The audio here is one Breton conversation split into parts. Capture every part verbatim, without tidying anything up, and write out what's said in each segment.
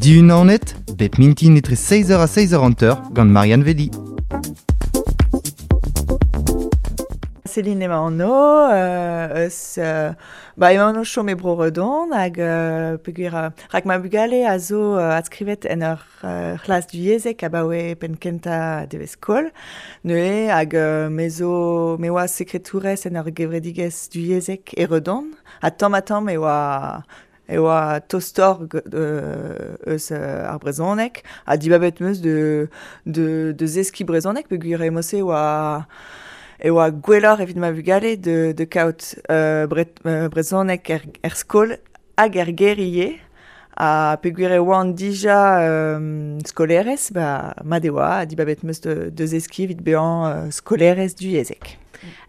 Diunaonet, bep mintin etre seiz eur ha seiz eur hanter gant Marianne Vedi. Céline emañ an o, euh, eus, euh, ba emañ an o chom e bro Redon hag euh, peogwir euh, rak ma bugale a zo euh, adskrivet en ur euh, c'hlas duyezek abaoe penn kentañ devez skol. Neuze hag euh, me zo me oa sekretourez en ur gevredigezh duyezek e Redon ha tamm ha tamm e oa e oa tostor euh, eus euh, ar brezhoneg ha dibabet meus de, de, de zeski brezhoneg peogwir e mose oa e oa gwelloc'h evit ma bugale de, de kaout euh, bre, euh, brezhoneg er, er skol hag er gêr ivez. Ha peogwir e oan dija euh, skolerez, ba, mat e oa, ha dibabet meus de, de zeski evit bezañ euh, skolerez duyezek.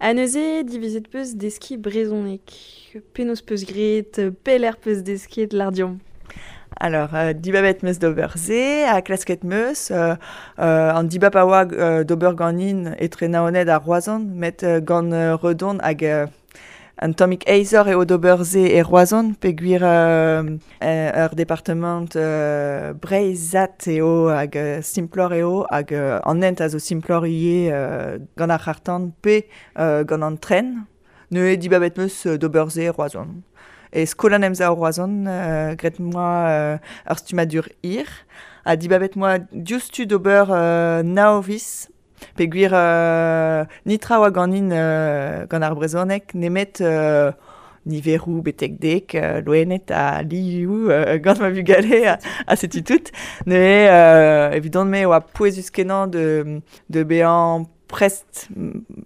Ha neuze divizet peus deski brezhoneg. Penaos peus graet, pelec'h peus desket lardiom. Alors, euh, dibabet meus d'ober se, ha klasket meus, euh, euh, an dibab a oa euh, d'ober ganin etre Naoned ha Roazhon, met euh, gant euh, Redon hag euh, an tammig aesoc'h eo d'ober se e Roazhon, peogwir euh, ur departement euh, breizhat eo hag euh, simploc'h eo, hag euh, an hent a zo simploc'h ivez euh, gant ar c'harr-tan pe euh, gant an tren. Neuze dibabet meus d'ober se e Roazhon. E skol an emsav Roazhon, euh, graet moa euh, ur stummadur hir, ha dibabet moa diouzhtu d'ober euh, nav viz, peogwir euh, nitra oa ganin euh, gant ar brezhoneg nemet euh, niveroù betek dek, euh, loened ha lioù euh, gant ma bugale ha, ha setu tout. Neuze euh, evidon-me oa pouezus kenañ de, de bezañ prest,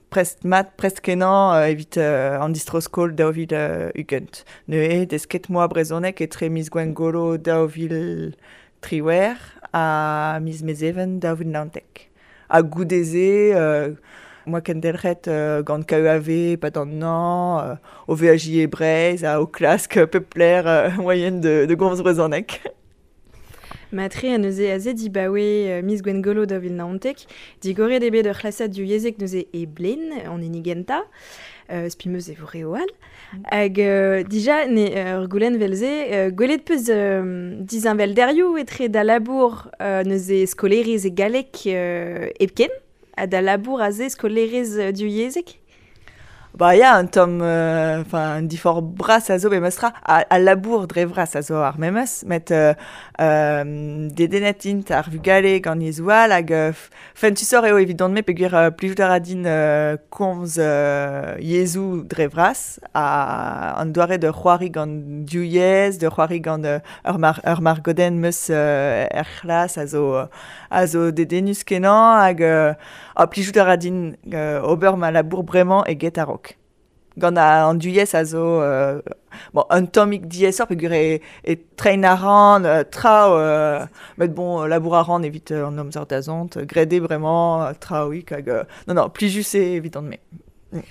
prest mat, prest kenañ euh, evit euh, an distro-skol daou vil euh, ugent. Neuze desket moa brezhoneg etre miz Gwengolo daou vil triwec'h ha miz Mezheven daou vil naontek. Ha goude-se, euh, moa kendelc'het euh, gant K E A V pad an an, euh, o veajiñ e Breizh ha o klask pep lec'h euh, moaien de, de gomz brezhoneg. Matre a neuze aze dibaoe euh, miz Gwengolo daou vil naontek, digoret eo bet ur c'hlasad duyezek neuze e Blen, an hini gentañ, euh, spi meus e vo re all. Hag euh, dija ne ur goulenn vel-se, euh, gwelet peus euh, dizinvelderioù etre da labour euh, neuze skolerez e galleg euh, hepken, ha da labour aze skolerez euh, duyezek? Ba ya, un tamm, euh, enfin, un difor bras a zo be meustra, a, a labour dre vras a zo ar memes, met euh, euh, dedennet int ar vugale gant yezhoù all hag euh, fentusoc'h eo evidon-me peogwir euh, plijout a ra din euh, komz euh, yezhoù dre vras ha an doare de c'hoari gant div yezh, de c'hoari gant euh, ur mar, ur margodenn meus euh, er c'hlas a zo, a zo dedennus kenañ hag euh, ha plijout a ra din euh, ober ma labour bremañ eget a-raok. Gant an duyez a zo euh, bon, un tammig diaesoc'h peogwir e, e trein a ran, euh, traoù, euh, met bon, labour a ran evit euh, an amzer da zont, graet eo bremañ, euh, traoùik hag... Euh, non, non, plijus eo evit an me. Mm.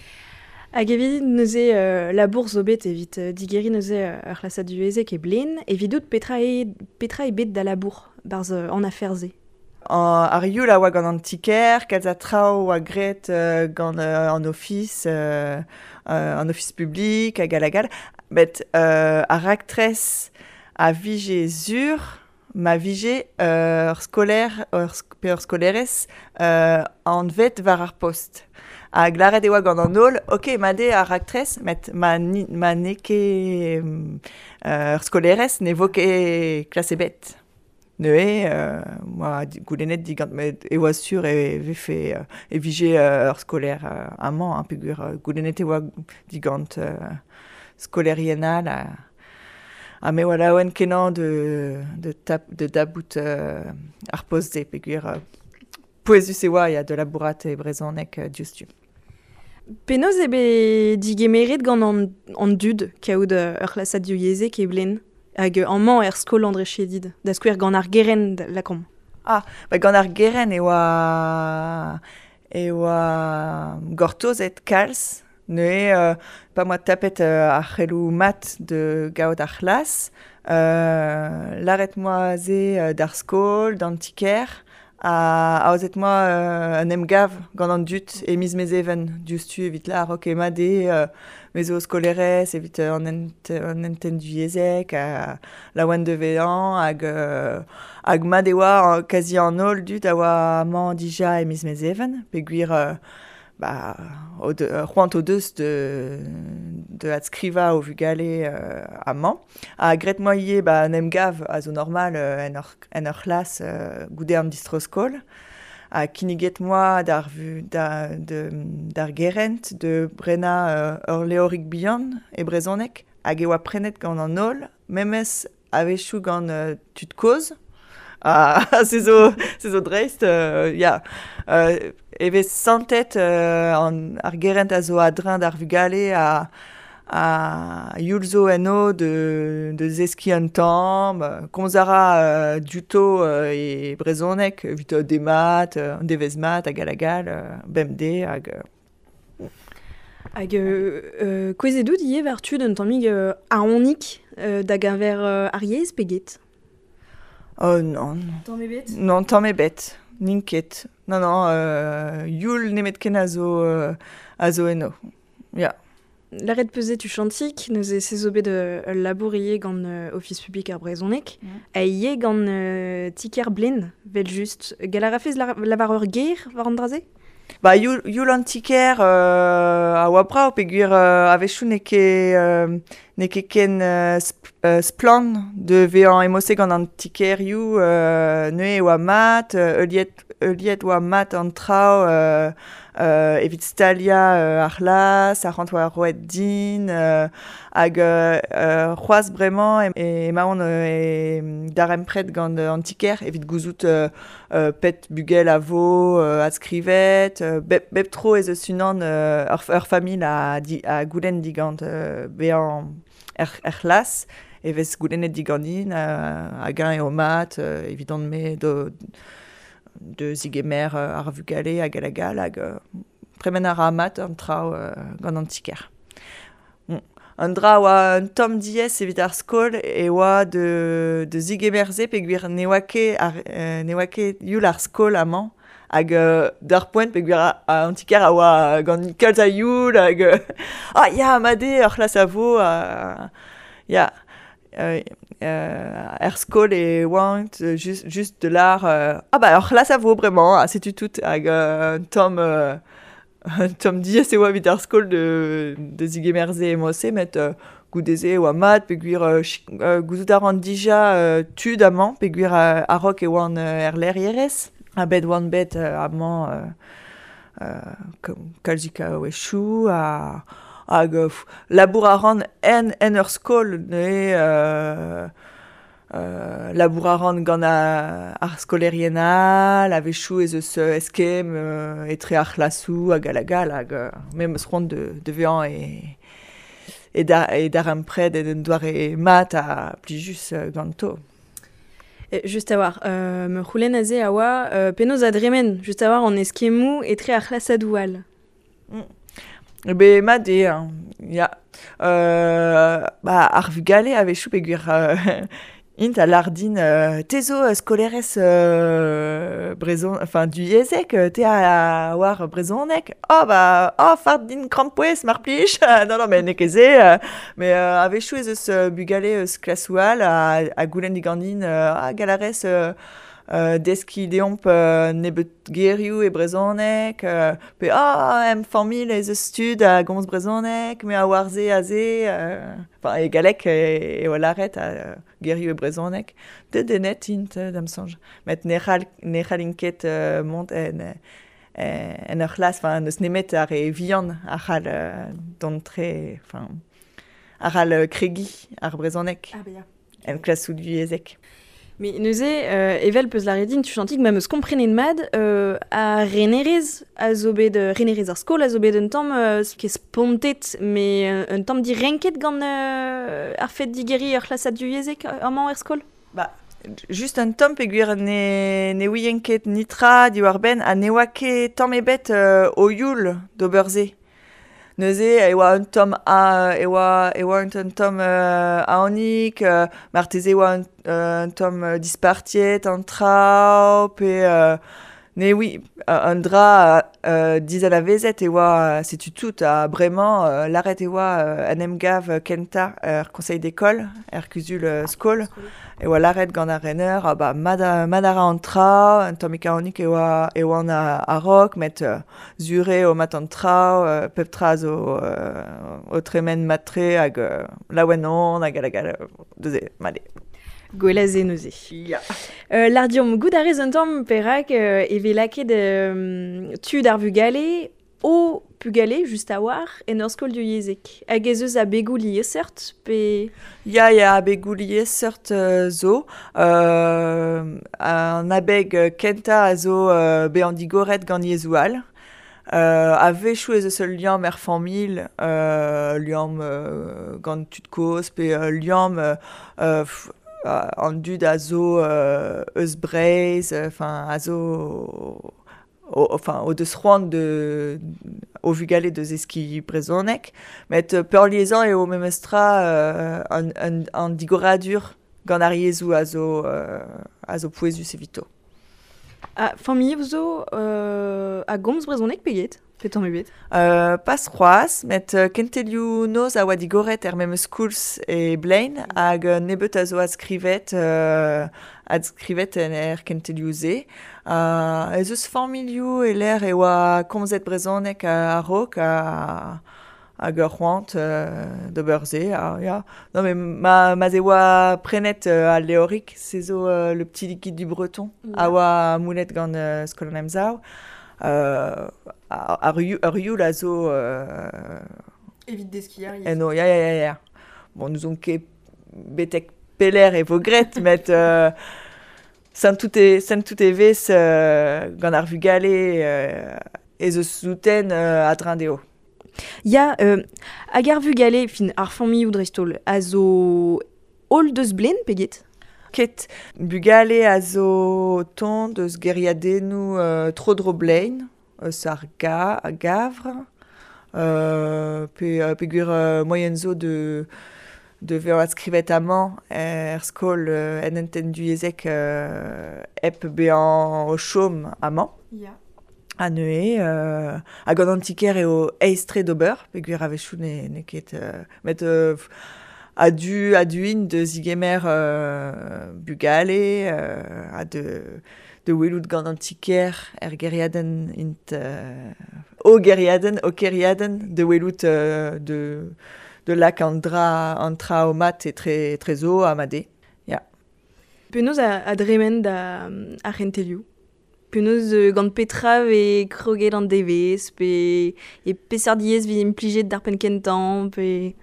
Hag evit neuze euh, labour zo bet evit euh, digeriñ neuze euh, ur c'hlasad duyezek e Blen, evidout petra e, petra e bet da labour barzh euh, an afer-se? An, ar youl a oa gant an ti-kêr, kalz a traoù oa graet euh, gant euh, an ofis, euh, euh, an ofis publik hag all hag all. Met euh, ar raktres a vije sur ma vije euh, ur skolaer, ur sk-, pe ur skolerez euh, anvet war ar post. Hag lâret e oa gant an holl, ok, mat eo ar raktres, met ma, ni, ma n'eo ket euh, ur skolerez ne vo ket klas ebet. Neuze, euh, moa goulennet digant met e oa sur e vefe euh, e vije euh, ur skolaer euh, amañ, hein, peogwir euh, goulennet e oa digant euh, skolerien all ha, ha me oa laouen kenañ de, de, tap, de dabout euh, ar post-se, peogwir euh, pouezus e oa ya de labourat e brezhoneg euh, diouzhtu. Penaos eo bet digemeret gant an, an dud kaout ur c'hlasad duyezek e Blen? Hag amañ er skol André Chédid, da skouer gant ar gerent lakaomp. Ah, ba gant ar gerent e oa, e oa gortozet kalz, neuze euh, pa moa tapet euh, ar c'heloù mat de gaout ar c'hlas, euh, lâret moa se euh, d'ar skol, d'an ti-kêr, A aozet moa euh, un emgav gant an dud e miz mezeven diouzhtu evit lar ok mat eo euh, me zo skolerez evit an ent, an enten duyezek a laouen de vezañ hag euh, hag mat e oa kazi an holl dud a oa amañ dija e miz mezeven peogwir euh, ba, o de, c'hoant o deus de, de adskrivañ o vugale euh, amañ. Ha graet moa ivez ba, an emgav a zo normal euh, en ur, en ur c'hlas euh, goude an distro-skol. Ha kinniget moa d'ar, vu, da, de, d'ar gerent de brenañ euh, ur leorig bihan e brezhoneg hag e oa prenet gant an holl, memes a-wechoù gant euh, tud kozh. Ah, se zo, se zo dreist, euh, ya. Euh, e vez santet euh, an, ar gerent a zo a-dreñv d'ar vugale a, a youl zo enno de, de zeskiñ un tamm, komz a ra euh, diouto euh, e brezhoneg evit euh, demat, euh, an devezh mat hag hag hag all, euh, bemdez hag... Euh, Hag euh, euh, kouezhet out ivez war tud un tammig euh, aonik euh, da geñver euh, ar yezh pe get? Oh non. Tamm ebet? Non, tamm ebet. N'int ket. Non, non, euh, youl nemetken a zo, euh, a zo eno. Ya. Lâret 'peus eo tuchantik, neuze se zo bet euh, ul labour ivez gant euh, Ofis publik ar brezhoneg, Mm. ha ivez gant euh, ti-kêr Blen, 'vel just. Gall a rafez lar- lavar ur ger war an dra-se? Ba, youl, youl an ti-kêr euh, a oa brav peogwir euh, a-wechoù n'eo ket, euh, n'eo ket ken euh, sp- euh, splann de vezañ emose gant an ti-kêrioù euh, neuze e oa mat, euh, heuliet, heuliet oa mat an traoù euh, euh, evit staliañ euh, ar c'hlas, arc'hant oa roet din, euh, hag euh, euh, c'hoazh bremañ e, emaon euh, e darempred gant an ti-kêr evit gouzout euh, euh, pet bugel a vo euh, adskrivet, euh, bep, bep tro ez eus unan euh, ur, ur familh a, di, a goulenn digant euh, bezañ er, er c'hlas, e vez goulennet diganin euh, hag-eñ eo mat euh, evidon-me do, de zigemer euh, ar vugale hag hag all hag euh, tremen a ra mat an traoù euh, gant an ti-kêr. Bon. An dra oa un tamm diaes evit ar skol e oa de, de zigemer-se peogwir ne oa ket ar, euh, ne oa ket youl ar skol amañ hag euh, d'ar poent peogwir a, a an ti-kêr a oa gant kalz a youl hag euh, ah ya mat eo ur c'hlas a vo euh, ya euh, euh, er skol e oant just, just de lar euh, ah bah ur c'hlas a vo bremañ ha setu tout hag euh, un tamm euh, un tamm diaes e oa evit ar skol de, de zigemer-se e-mod-se met euh, goude-se e oa mat peogwir euh, chi- euh, gouzout a ran dija euh, tud amañ peogwir euh, a-raok e oan euh, er lec'hierez ha bet oan bet euh, amañ euh, euh, kalzik a-wechoù ha hag euh, labour a ran en, en ur skol neuze euh, euh, labour a ran gant a, ar skolerien all, a-wechoù ez eus euh, eskemm euh, etre ar c'hlasoù hag hag all hag euh, me 'm eus c'hoant de, de vezañ e, e, da, e darempred en un doare mat ha plijus euh, ganto. E, just a-walc'h, euh, me c'houlenn aze a oa euh, penaos a dremen, just a-walc'h an eskemmoù etre ar c'hlasadoù all. Mm. Be mat eo, hein, ya. Euh, ba, ar vugale a-wechoù peogwir euh, int a lar din euh, te zo euh, skolerez euh, brezhon, enfin duyezek, te a oar brezhoneg. Oh ba, oh fard din krampouezh mar plij. Non non mais n'eo ket se, euh, mais euh, a-wechoù ez eus euh, bugale eus klasoù all a, a goulenn diganin euh, ah gall a rez euh, euh, deskiñ deomp euh, nebeut gerioù e brezhoneg, euh, pe ah em familh ez eus tud a gomz brezhoneg, me a oar se aze, euh, enfin e galleg e, e oa lâret a euh, gerioù e brezhoneg. Dedennet int euh, da'm soñj. Met ne c'hall, ne c'hallin ket euh, mont en, en ur c'hlas, enfin n'eus nemet ar re vihan a c'hall euh, dont tre, enfin a c'hall euh, kregiñ ar brezhoneg Ah, ya. en klasoù duyezek. Mais neuze, euh, evel peus lâret din tuchantik, ma 'm eus komprenet mat, euh, ar renerez a zo bet, euh, renerez ar skol a zo bet un tamm euh, ket spontet, mais euh, un tamm direnket gant euh, ar fed digeriñ ur c'hlasad duyezek amañ er skol? Ba, just un tamm peogwir ne, ne ouien ket nitra diwar-benn ha ne oa ket tamm ebet euh, o youl d'ober se. Neuze e oa un tamm a, e oa, e oa un tamm euh, aonik, euh, marteze e oa un, euh, un tamm euh, dispartiet an traoù, pe... Euh, ne oui, un dra euh, dizalavezet e oa, setu tout a bremañ euh, lâret e oa euh, an emgav kenta er conseil d'école, er kuzul euh, skol, e oa lâret gant ar rener, ah ba mad mad a ra an tra, un tammig aonik e oa e oan a, a-raok, met euh, zure o mat an tra, euh, pep tra zo euh, o tremen mat-tre hag euh, laouen on hag hag hag neuze, mat eo. Gwell a se neuze. Ya. Euh, lar diomp goût a rez un tamm perak euh, e vez lakaet euh, tud ar vugale o pugale just a-war en ur skol divyezhek. Hag ez eus abegoù liesseurt pe... Ya, ya, abegoù liesseurt euh, zo. Euh, an abeg kentañ a zo euh, bezañ digoret gant yezhoù all. Euh, a-wechoù ez eus ul liamm er familh, euh, liamm euh, gant tud kozh pe euh, liamm euh, euh, an dud a zo euh, eus Breizh, enfin a zo o, enfin o deus c'hoant de o vugale deus eski brezhoneg, met peurliesañ eo memestra euh, an, an, an digoradur gant ar yezhoù a zo euh, a zo pouezus evito. Ah, familh zo euh, a gomz brezhoneg pe get? Pe tamm ebet? Euh, pas c'hoazh, met euh, kentelioù noz a oa digoret er memes koulz e Blein, hag euh, nebeut a zo adskrivet, euh, adskrivet en er kentelioù-se. Euh, ez eus familhoù e lec'h e oa komzet brezhoneg a-raok a, hag ur c'hoant euh, d'ober se. Ah, ya. Non, mais ma, ma ze oa prenet euh, al levrig, se zo euh, le petit liquide du breton, Yeah. a oa moulet gant euh, Skol an Emsav. Euh, ar ur youl a zo... Euh, Evit deskiñ ar yezh. Eno, ya, ya, ya, ya. Bon, nous on ket betek peler e vo gret, met euh, santout e, santout e vez euh, gant ar vugale euh, ez eus souten euh, a-dreñv dezho. Ya, euh, hag ar vugale, fin, ar familhoù dreist-holl, a zo holl deus Blein pe get? Ket bugale a zo tont deus geriadennoù euh, tro-dro Blein, eus ar ga, a gavr, euh, pe, euh, peogwir euh, moaien zo de, de vezañ adskrivet amañ er skol euh, en hentenn divyezhek euh, hep bezañ o chom amañ. Ya. Ha neuze, euh, hag an antiker eo aes-tre d'ober, peogwir a-wechoù ne, n'eo ket... Euh, met euh, a-du, a-du int de zigemer euh, bugale, euh, ha de, de welout gant an tiker er geriadenn int... Euh, o geriadenn, o keriadenn, de welout euh, de, de lak an dra, an tra o mat e tre, tre zo ha made. Ya. Penaos a, a dremen da ar c'hentelioù? Penaos euh, gant petra vez kroget an devezh, pe e peseurt yezh vez implijet d'ar penn kentañ, pe...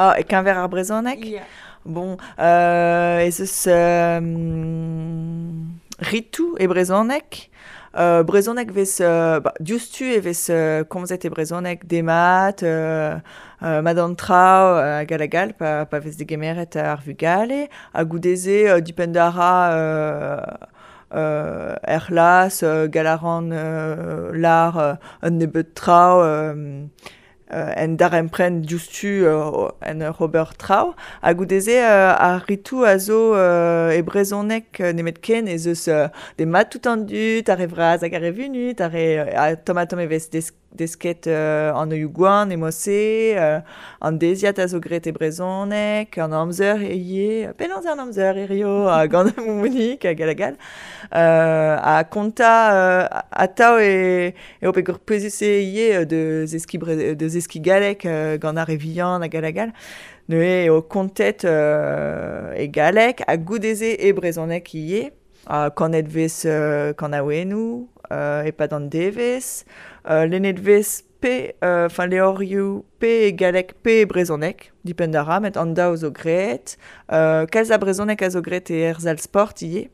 Ah, e keñver ar brezhoneg? Yeah. Bon, euh, ez eus euh, ritou e brezhoneg. Euh, brezhoneg vez, euh, ba, diouzhtu e vez euh, komzet e brezhoneg demat, euh, euh, mat an traoù hag hag all, pa, pa vez degemeret ar vugale. Ha goude-se, euh, dipend a ra euh, euh, er c'hlas, euh, gall a ran euh, lar euh, un nebeud traoù, euh, euh, en darempren diouzhtu euh, en ur ober traoù. Ha goude-se euh, ar ritou a zo euh, e brezhoneg nemet ken ez eus euh, demat tout an dud, ar re vras hag ar re vunut, ar re, a tamm ha tamm e vez des, desket euh, an oioù gwan e mod-se, euh, an deziad a zo graet e brezhoneg, an amzer e ivez, penaos an amzer e rio, ha gant ar moumounik hag hag all. Euh, ha kontañ euh, atav e, eo peogwir pouezus eo ivez de zeskiñ bre, de zeskiñ galleg euh, gant ar re vihan hag hag all. Neuze eo kontet euh, e galleg ha goude-se e brezhoneg ivez. Ha kanet vez euh, kanaouennoù, euh, e-pad an devezh, euh, lennet vez pe, enfin euh, levrioù pe e galleg pe e brezhoneg, dipend a ra, met an daou zo graet. Euh, kalz a brezhoneg a zo graet e er sal sport ivez.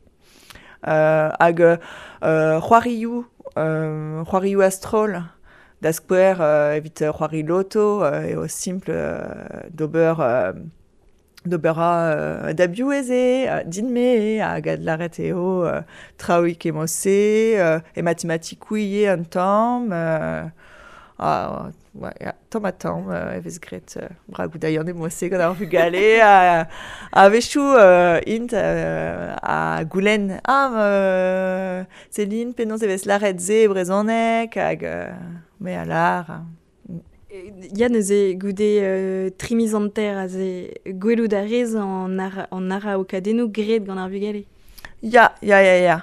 Euh, hag euh, c'hoarioù, euh, c'hoarioù a-stroll, da skouer euh, evit c'hoari loto, euh, eo simpl euh, d'ober euh, d'ober a euh, da biv ez eo, euh, din-me eo, hag adlâret eo euh, traoù e mod-se, euh, e matematikoù ivez un tamm, euh, Ah, ouais, ya, tamm ha tamm, euh, e vez graet euh, bragou da yann eo se gant ar vugale, a, a wechoù euh, int euh, a goulenn, ah, euh, Céline, penaos e vez lâret se e brezhoneg, hag euh, me a lâr. Ya neuze goude euh, tri miz hanter aze gwelout a rez an, ar, an araokadennoù graet gant ar vugale. Ya, ya, ya, ya.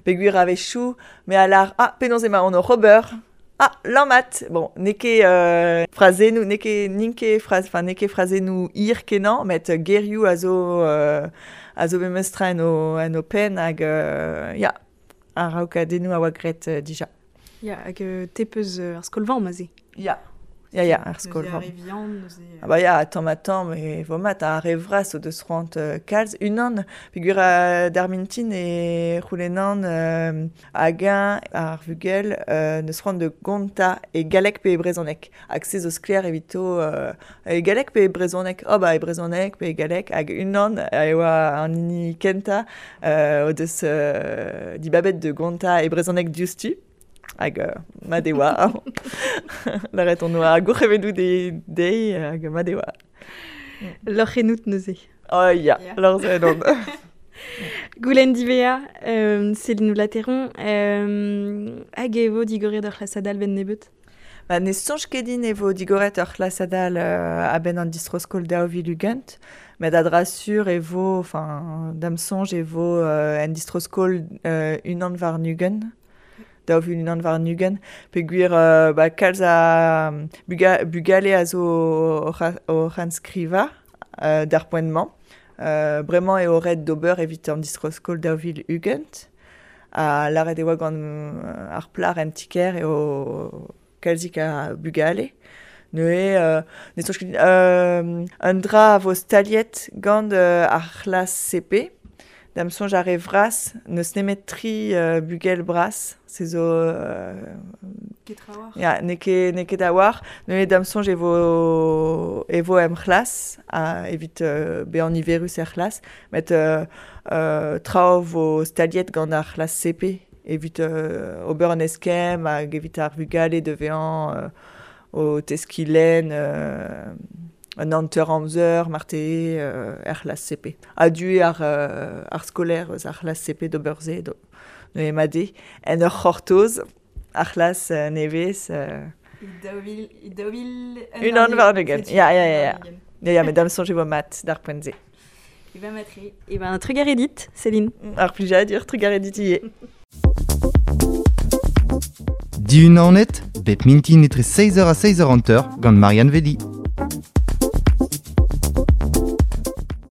Peogwir a-wechoù, me a lâr, ah, penaos emañ on oc'h ober. Ah, lammat. Bon, n'eo ket euh, frazennoù, n'eo ket, n'int ket fraz, enfin, n'eo ket frazennoù hir kenañ, met gerioù a zo, euh, a zo memestra en o, en o penn hag, euh, ya, araokadennoù a oa graet euh, dija. Ya, hag euh, te peus euh, ar skol-vamm aze. Ya, ya, ya, ar skol-vamm. Ah ba ya, tamm ha tamm, e vo mat, ar re vras o deus c'hoant euh, kalz. Unan, peogwir euh, d'ar mintin e c'houlennan euh, hag-eñ ar vugel euh, neus c'hoant de gontañ e galleg pe e brezhoneg. Hag se zo sklaer evito euh, e galleg pe e brezhoneg. Oh ba e brezhoneg pe e galleg. Hag unan e oa an hini kentañ euh, o deus euh, dibabet de gontañ e brezhoneg diouzhtu. Hag euh, mat e oa. Lâret on oa gourc'hemennoù de, dezhi hag mat e oa. Lorc'h ennout neuze. Oh ya, Ya. lorc'h ennon. Goulenn diwezhañ, euh, Céline Lateron, euh, hag e vo digoret ur c'hlasad all benn nebeut? Ba, ne soñj ket din e vo digoret ur c'hlasad all euh, a-benn an distro-skol daou vil ugent, met a-dra sur e vo, enfin, da'm soñj e vo euh, en distro-skol euh, unan warn-ugent. Daou vil unan warn-ugent, peogwir euh, ba, kalz a buga, bugale a zo oc'h oc'h enskrivañ euh, d'ar poent-mañ. Euh, bremañ eo ret d'ober evit an distro-skol daou vil ugent. Ha lâret e oa gant euh, ar plac'h en ti-kêr eo kalzik a bugale. Neuze, euh, ne soñj ket euh, un dra a vo staliet gant euh, ar c'hlas C P. Da'm soñj ar re vras, n'eus nemet tri euh, bugel bras, se zo... Euh, Ket trawalc'h. Ya, n'eo ket, n'eo ket a-walc'h. Neuze da'm soñj e vo, e vo em c'hlas, ha evit euh, bezañ niverus er c'hlas, met euh, euh, traoù vo staliet gant ar c'hlas C P, evit euh, ober an eskemm hag evit ar vugale da vezañ euh, o teskiñ lenn euh, un hanter amzer, marteze euh, er c'hlas C P. A-du eo ar, euh, ar skolaer eus ar c'hlas C P d'ober se, do, neuze mat eo, en ur c'hortoz, ar c'hlas euh, nevez. Euh, Daou vil, daou vil Unan warn-ugent. Ya, ya, ya, ya. warn-ugent. Ya, ya, met da'm soñj e vo mat d'ar poent-se. E ben matre. E ben trugarez dit, Céline. Ar plijadur, trugarez dit ivez. Dihunanet, bep mintin etre seizh eur ha seizh eur hanter gant Marianne Velli.